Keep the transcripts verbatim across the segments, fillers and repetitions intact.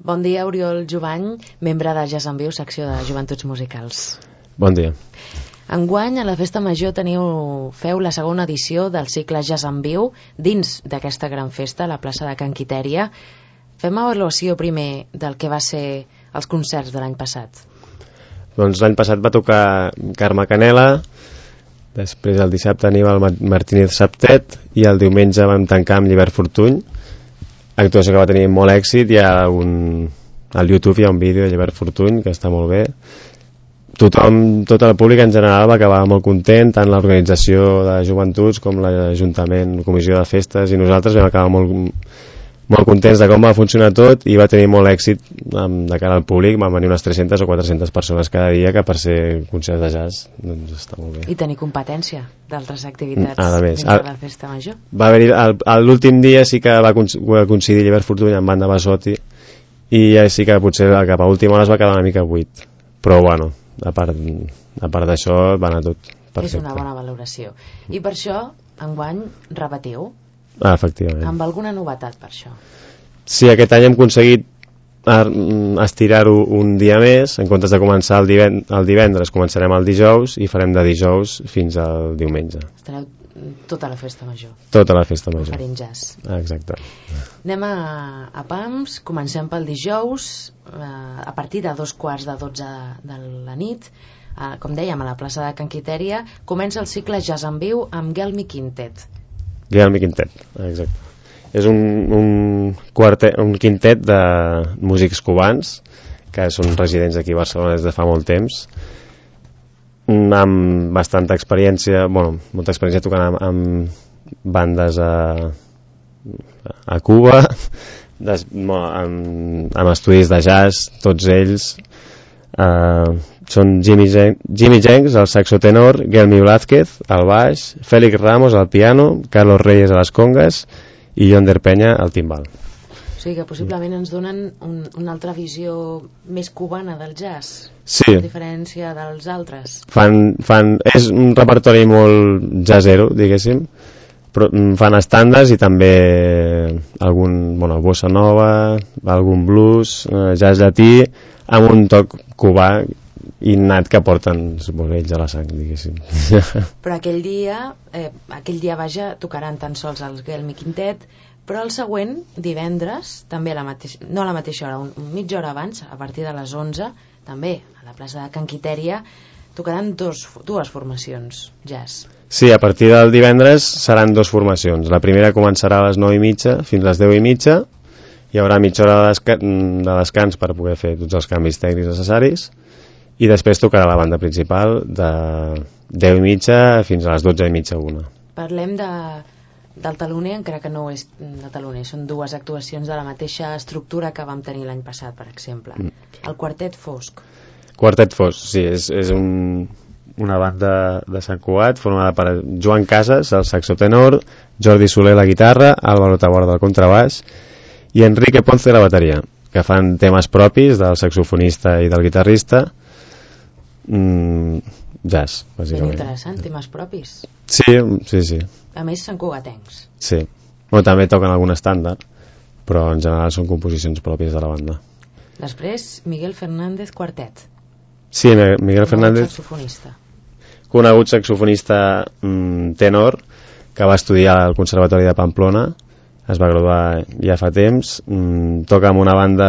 Bon dia, Oriol Jovany, membre de Jazz en Viu, secció de Joventuts Musicals. Bon dia. Enguany, a la Festa Major, teniu, feu la segona edició del cicle Jazz en Viu dins d'aquesta gran festa, a la plaça de Can Quitèria. Fem avaluació primer del que va ser els concerts de l'any passat. Doncs l'any passat va tocar Carme Canela, després el dissabte Aníbal Martínez Septet i el diumenge vam tancar amb Llibert Fortuny, actuació que va tenir molt èxit. Hi ha un... al YouTube hi ha un vídeo de Llibert Fortuny que està molt bé. Tothom, tot el públic en general va acabar molt content, tant l'organització de joventuts com l'Ajuntament, la comissió de festes, i nosaltres vam acabar molt, molt contents de com va funcionar tot, i va tenir molt èxit de cara al públic. Van venir unes tres-centes o quatre-centes persones cada dia, que per ser concerts de jazz doncs està molt bé. I tenir competència d'altres activitats a més, dins de la Festa Major. Va haver-hi, l'últim dia sí que va coincidir Llibert Fortuny amb banda Basotti, i ja sí que potser cap a última hora es va quedar una mica buit, però bueno, a part, a part d'això va anar tot perfecte. És una bona valoració. I per això, enguany, repetiu? Ah, efectivament. Amb alguna novetat per això? Sí, aquest any hem aconseguit estirar-ho un dia més. En comptes de començar el divendres, el divendres començarem el dijous i farem de dijous fins al diumenge. Estareu tota la Festa Major? Tota la Festa Major. Oferint jazz. Ah, exacte. Anem a, a Pams, comencem pel dijous, eh, a partir de dos quarts de dotze de, de la nit, eh, com dèiem, a la plaça de Can Quitèria, comença el cicle Jazz en Viu amb Gelmi Quintet. Gelmi Quintet, exacte. És un, un, quartet, un quintet de músics cubans que són residents aquí a Barcelona des de fa molt temps, amb bastanta experiència, bueno, molta experiència tocant amb, amb bandes a, a Cuba, des, amb, amb estudis de jazz, tots ells. Uh, són Jimmy, Jen Jimmy Jenks al saxo tenor, Gelmi Blázquez al baix, Félix Ramos al piano, Carlos Reyes a les congues i Yonder Peña al timbal. O sigui que possiblement ens donen un, una altra visió més cubana del jazz, sí, a diferència dels altres. Fan, fan, és un repertori molt jazzero, diguéssim, però fan estàndards i també algun, bueno, bossa nova, algun blues, eh, jazz llatí, amb un toc cubà innat que porten ells a la sang, diguéssim. Però aquell dia, eh, aquell dia vaja, tocaran tan sols el Gelmi Quintet, però el següent, divendres, també a la mateixa, no a la mateixa hora, un, mitja hora abans, a partir de les onze, també a la plaça de Can Quitèria, tocaran dos, dues formacions jazz. Sí, a partir del divendres seran dues formacions. La primera començarà a les nou i mitja fins a les deu i mitja. Hi haurà mitja hora de, desca de descans per poder fer tots els canvis tècnics necessaris, i després tocarà la banda principal de deu i mitja fins a les dotze i mitja, una. Parlem de, del taloner, encara que no és de taloner, són dues actuacions de la mateixa estructura que vam tenir l'any passat, per exemple. Mm. El Quartet Fosc. Quartet Fosc, sí, és, és un, una banda de Sant Cugat formada per Joan Casas, el saxo tenor, Jordi Soler, la guitarra, Álvaro Taborda, el contrabaix, i Enrique Ponce, la bateria, que fan temes propis del saxofonista i del guitarrista, mm, jazz, bàsicament. Ben interessant, temes propis. Sí, sí, sí. A més, són cugatencs. Sí. Bueno, també toquen algun estàndard, però en general són composicions pròpies de la banda. Després, Miguel Fernández Quartet. Sí, Miguel Fernández, saxofonista. Conegut saxofonista mm, tenor, que va estudiar al Conservatori de Pamplona, es va graduar ja fa temps, mm, toca amb una banda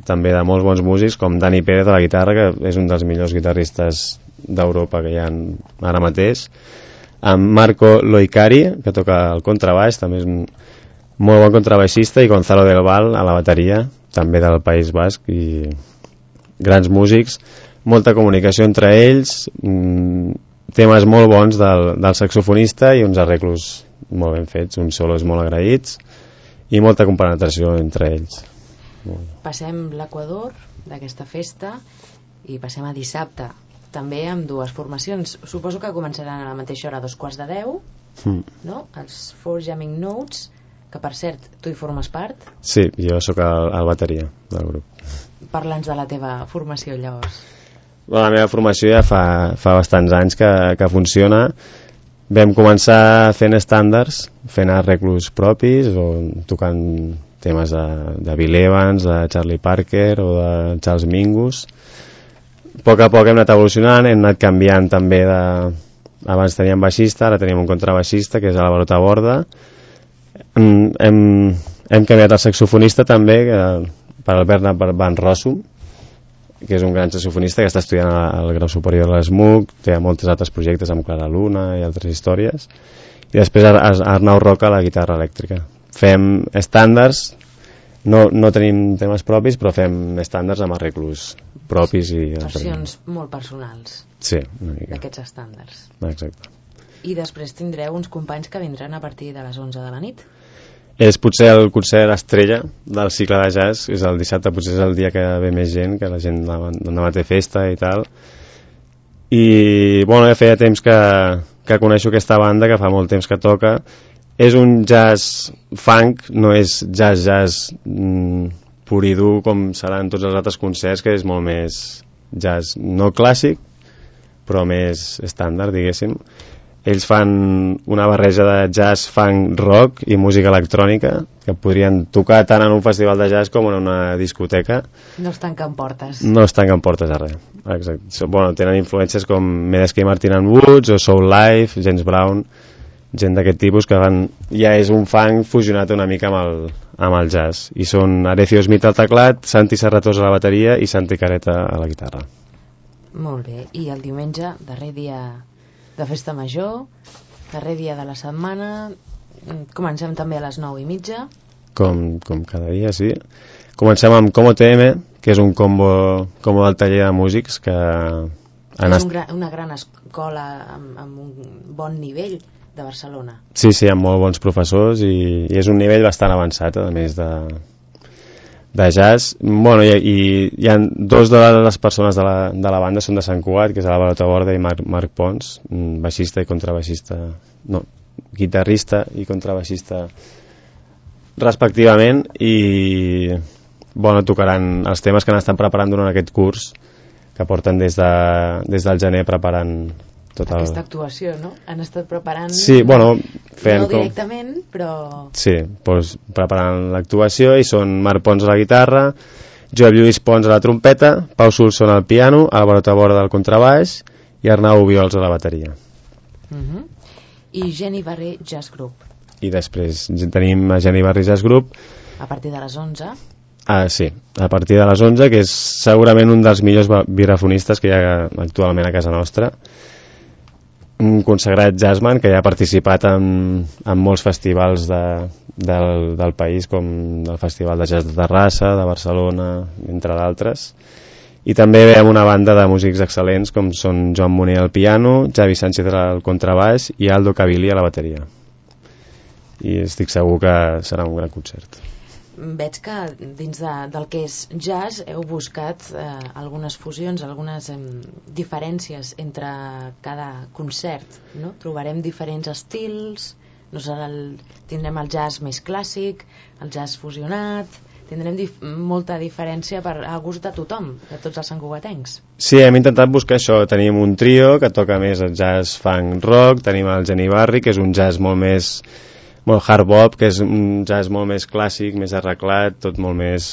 també de molts bons músics, com Dani Pérez a la guitarra, que és un dels millors guitarristes d'Europa que hi ha ara mateix, amb Marco Loicari, que toca el contrabaix, també és un molt bon contrabaixista, i Gonzalo del Val a la bateria, també del País Basc, i grans músics, molta comunicació entre ells, mm, temes molt bons del, del saxofonista i uns arreglos molt ben fets, uns solos molt agraïts i molta compenetració entre ells. Passem l'Equador d'aquesta festa i passem a dissabte, també amb dues formacions. Suposo que començaran a la mateixa hora, a dos quarts de deu, mm. no? Els Four Jamming Notes, que per cert, tu hi formes part? Sí, jo sóc el, el bateria del grup. Parla'ns de la teva formació, llavors. La meva formació ja fa, fa bastants anys que, que funciona. Vam començar fent estàndards, fent arreglos propis o tocant temes de, de Bill Evans, de Charlie Parker o de Charles Mingus. A poc a poc hem anat evolucionant, hem anat canviant també de... Abans teníem baixista, ara tenim un contrabaixista, que és Álvaro Taborda. Hem, hem, hem canviat el saxofonista també, que, per el Bernard Van Rossum, que és un gran saxofonista que està estudiant al grau superior de l'S M U C, té molts altres projectes amb Clara Luna i altres històries. I després Arnau Roca a la guitarra elèctrica. Fem estàndards, no, no tenim temes propis, però fem estàndards amb arreglos propis. I versions molt personals. Sí, una mica. D'aquests estàndards. Exacte. I després tindreu uns companys que vindran a partir de les onze de la nit. És potser el concert estrella del cicle de jazz, és el dissabte, potser és el dia que ve més gent, que la gent demà té festa i tal. I, bueno, ja feia temps que, que coneixo aquesta banda, que fa molt temps que toca. És un jazz funk, no és jazz-jazz mm, pur i dur com seran tots els altres concerts, que és molt més jazz no clàssic, però més estàndard, diguéssim. Ells fan una barreja de jazz, funk, rock i música electrònica que podrien tocar tant en un festival de jazz com en una discoteca. No es tanquen portes. No es tanquen portes a res. Exacte. Bueno, tenen influències com Medeski Martin and Woods o Soul Life, James Brown, gent d'aquest tipus que van... ja és un funk fusionat una mica amb el, amb el jazz. I són Arecio Smith al teclat, Santi Serratós a la bateria i Santi Careta a la guitarra. Molt bé. I el diumenge, darrer dia de festa major, darrer dia de la setmana, comencem també a les nou i mitja. Com, com cada dia, sí. Comencem amb Como T M, que és un combo, combo del taller de músics que... És un gra, una gran escola amb, amb un bon nivell de Barcelona. Sí, sí, amb molt bons professors i, i és un nivell bastant avançat, a més de, de jazz. Bueno, i, i hi ha dos de les persones de la, de la banda són de Sant Cugat, que és Álvaro Taborda i Marc, Marc Pons, baixista i contrabaixista, no, guitarrista i contrabaixista respectivament, i bueno, tocaran els temes que han estat preparant durant aquest curs, que porten des, de, des del gener preparant tot el... Aquesta actuació, no? Han estat preparant... Sí, bueno... Fent no directament, com... però... Sí, doncs preparant l'actuació, i són Marc Pons a la guitarra, Joel Lluís Pons a la trompeta, Pau Solson al piano, Álvaro Taborda al contrabaix i Arnau Obiols a la bateria. Uh-huh. I Geni Barré Jazz Group. I després tenim a Geni Barré Jazz Group a partir de les onze. Ah, sí, a partir de les onze, que és segurament un dels millors vibrafonistes que hi ha actualment a casa nostra, un consagrat jazzman que ja ha participat en, en molts festivals de, del, del país, com el Festival de Jazz de Terrassa, de Barcelona, entre d'altres. I també ve amb una banda de músics excel·lents com són Joan Moner al piano, Javi Sánchez al contrabaix i Aldo Cavilli a la bateria. I estic segur que serà un gran concert. Veig que dins de, del que és jazz heu buscat eh, algunes fusions, algunes eh, diferències entre cada concert, no? Trobarem diferents estils, no serà el, tindrem el jazz més clàssic, el jazz fusionat, tindrem dif molta diferència per a gust de tothom, de tots els santcugatencs. Sí, hem intentat buscar això. Tenim un trio que toca més el jazz funk rock, tenim el Geni Barri, que és un jazz molt més... molt hard bop, que és un jazz molt més clàssic, més arreglat, tot molt més...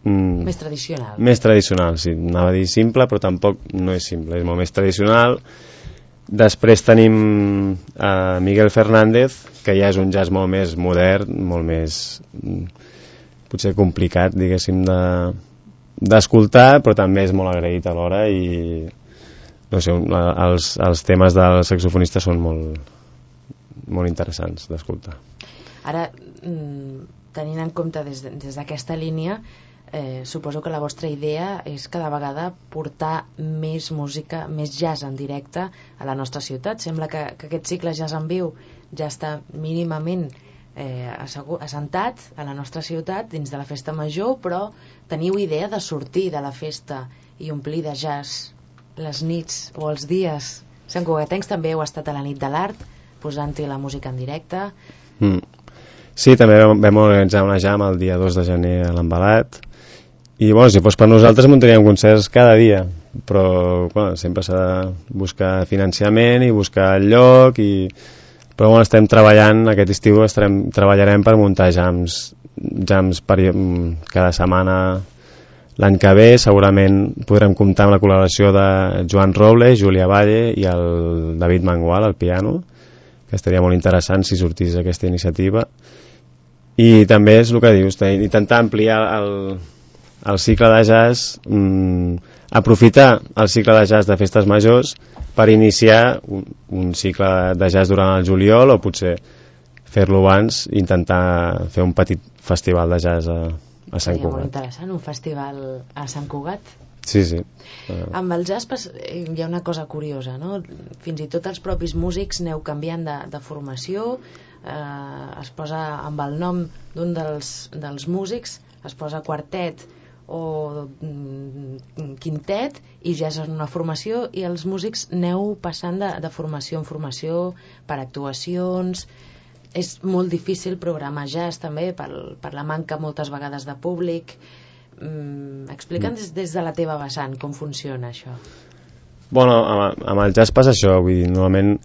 Mm, més tradicional. Més tradicional, sí. Anava a dir simple, però tampoc no és simple, és molt més tradicional. Després tenim a Miguel Fernández, que ja és un jazz molt més modern, molt més... potser complicat, diguéssim, de d'escoltar, però també és molt agraït alhora, i no sé, els, els temes del saxofonista són molt... molt interessants d'escoltar. Ara, tenint en compte des d'aquesta de, línia, eh, suposo que la vostra idea és cada vegada portar més música, més jazz en directe a la nostra ciutat. Sembla que, que aquest cicle Jazz en Viu ja està mínimament eh, assentat a la nostra ciutat dins de la festa major, però teniu idea de sortir de la festa i omplir de jazz les nits o els dies. Santcugatencs també heu estat a la nit de l'art, posant-hi la música en directe. Mm. Sí, també vam, vam organitzar una jam el dia dos de gener a l'Embalat, i bueno, si fos per nosaltres muntaríem concerts cada dia, però bueno, sempre s'ha de buscar financiament i buscar el lloc, i... però bueno, estem treballant, aquest estiu estarem, treballarem per muntar jams jams per, cada setmana. L'any que ve segurament podrem comptar amb la col·laboració de Joan Robles, Júlia Valle i el David Mangual al piano, que estaria molt interessant si sortís aquesta iniciativa. I també és el que dius, intentar ampliar el, el cicle de jazz, mmm, aprofitar el cicle de jazz de festes majors per iniciar un, un cicle de jazz durant el juliol, o potser fer-lo abans i intentar fer un petit festival de jazz a, a Sant Seria Cugat. molt interessant, un festival a Sant Cugat. Sí, sí. Uh... Amb el jazz hi ha una cosa curiosa, no? Fins i tot els propis músics aneu canviant de, de formació, eh, es posa amb el nom d'un dels, dels músics, es posa quartet o mm, quintet i ja és una formació, i els músics aneu passant de, de formació en formació per actuacions. És molt difícil programar jazz també per, per la manca moltes vegades de públic. mm, explica'ns des, des de la teva vessant com funciona això. Bueno, amb, amb el jazz passa això, vull dir, normalment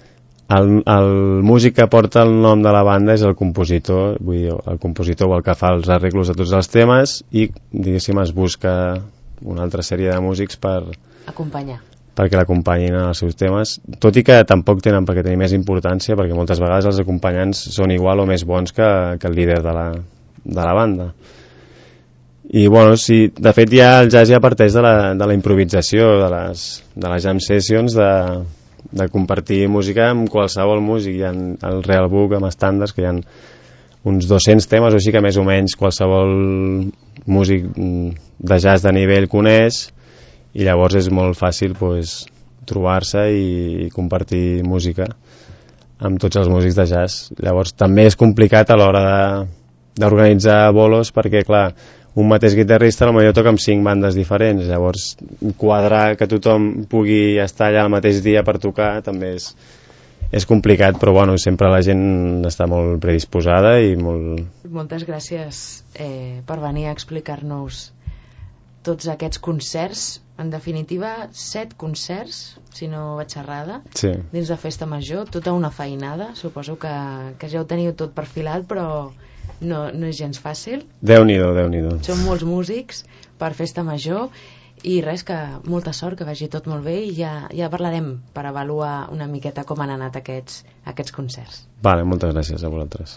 el, el músic que porta el nom de la banda és el compositor, vull dir, el compositor o el que fa els arreglos de tots els temes, i diguéssim es busca una altra sèrie de músics per acompanyar, perquè l'acompanyin en els seus temes, tot i que tampoc tenen per què tenir més importància, perquè moltes vegades els acompanyants són igual o més bons que, que el líder de la, de la banda. I bueno, sí, de fet ja el jazz ja parteix de la, de la improvisació, de les, de les jam sessions, de, de compartir música amb qualsevol músic. Hi ha el Real Book amb estàndards, que hi ha uns dos-cents temes o així que més o menys qualsevol músic de jazz de nivell coneix, i llavors és molt fàcil pues, trobar-se i, i compartir música amb tots els músics de jazz. Llavors també és complicat a l'hora de, d'organitzar bolos, perquè clar, un mateix guitarrista potser toca amb cinc bandes diferents, llavors quadrar que tothom pugui estar allà el mateix dia per tocar també és, és complicat, però bueno, sempre la gent està molt predisposada i molt... Moltes gràcies eh, per venir a explicar-nos tots aquests concerts, en definitiva set concerts, si no vaig errada, sí, dins de Festa Major, tota una feinada, suposo que, que ja ho teniu tot perfilat, però no, no és gens fàcil. Déu-n'hi-do, Déu-n'hi-do. Som molts músics per Festa Major, i res, que molta sort, que vagi tot molt bé, i ja, ja parlarem per avaluar una miqueta com han anat aquests, aquests concerts. Vale, moltes gràcies a vosaltres.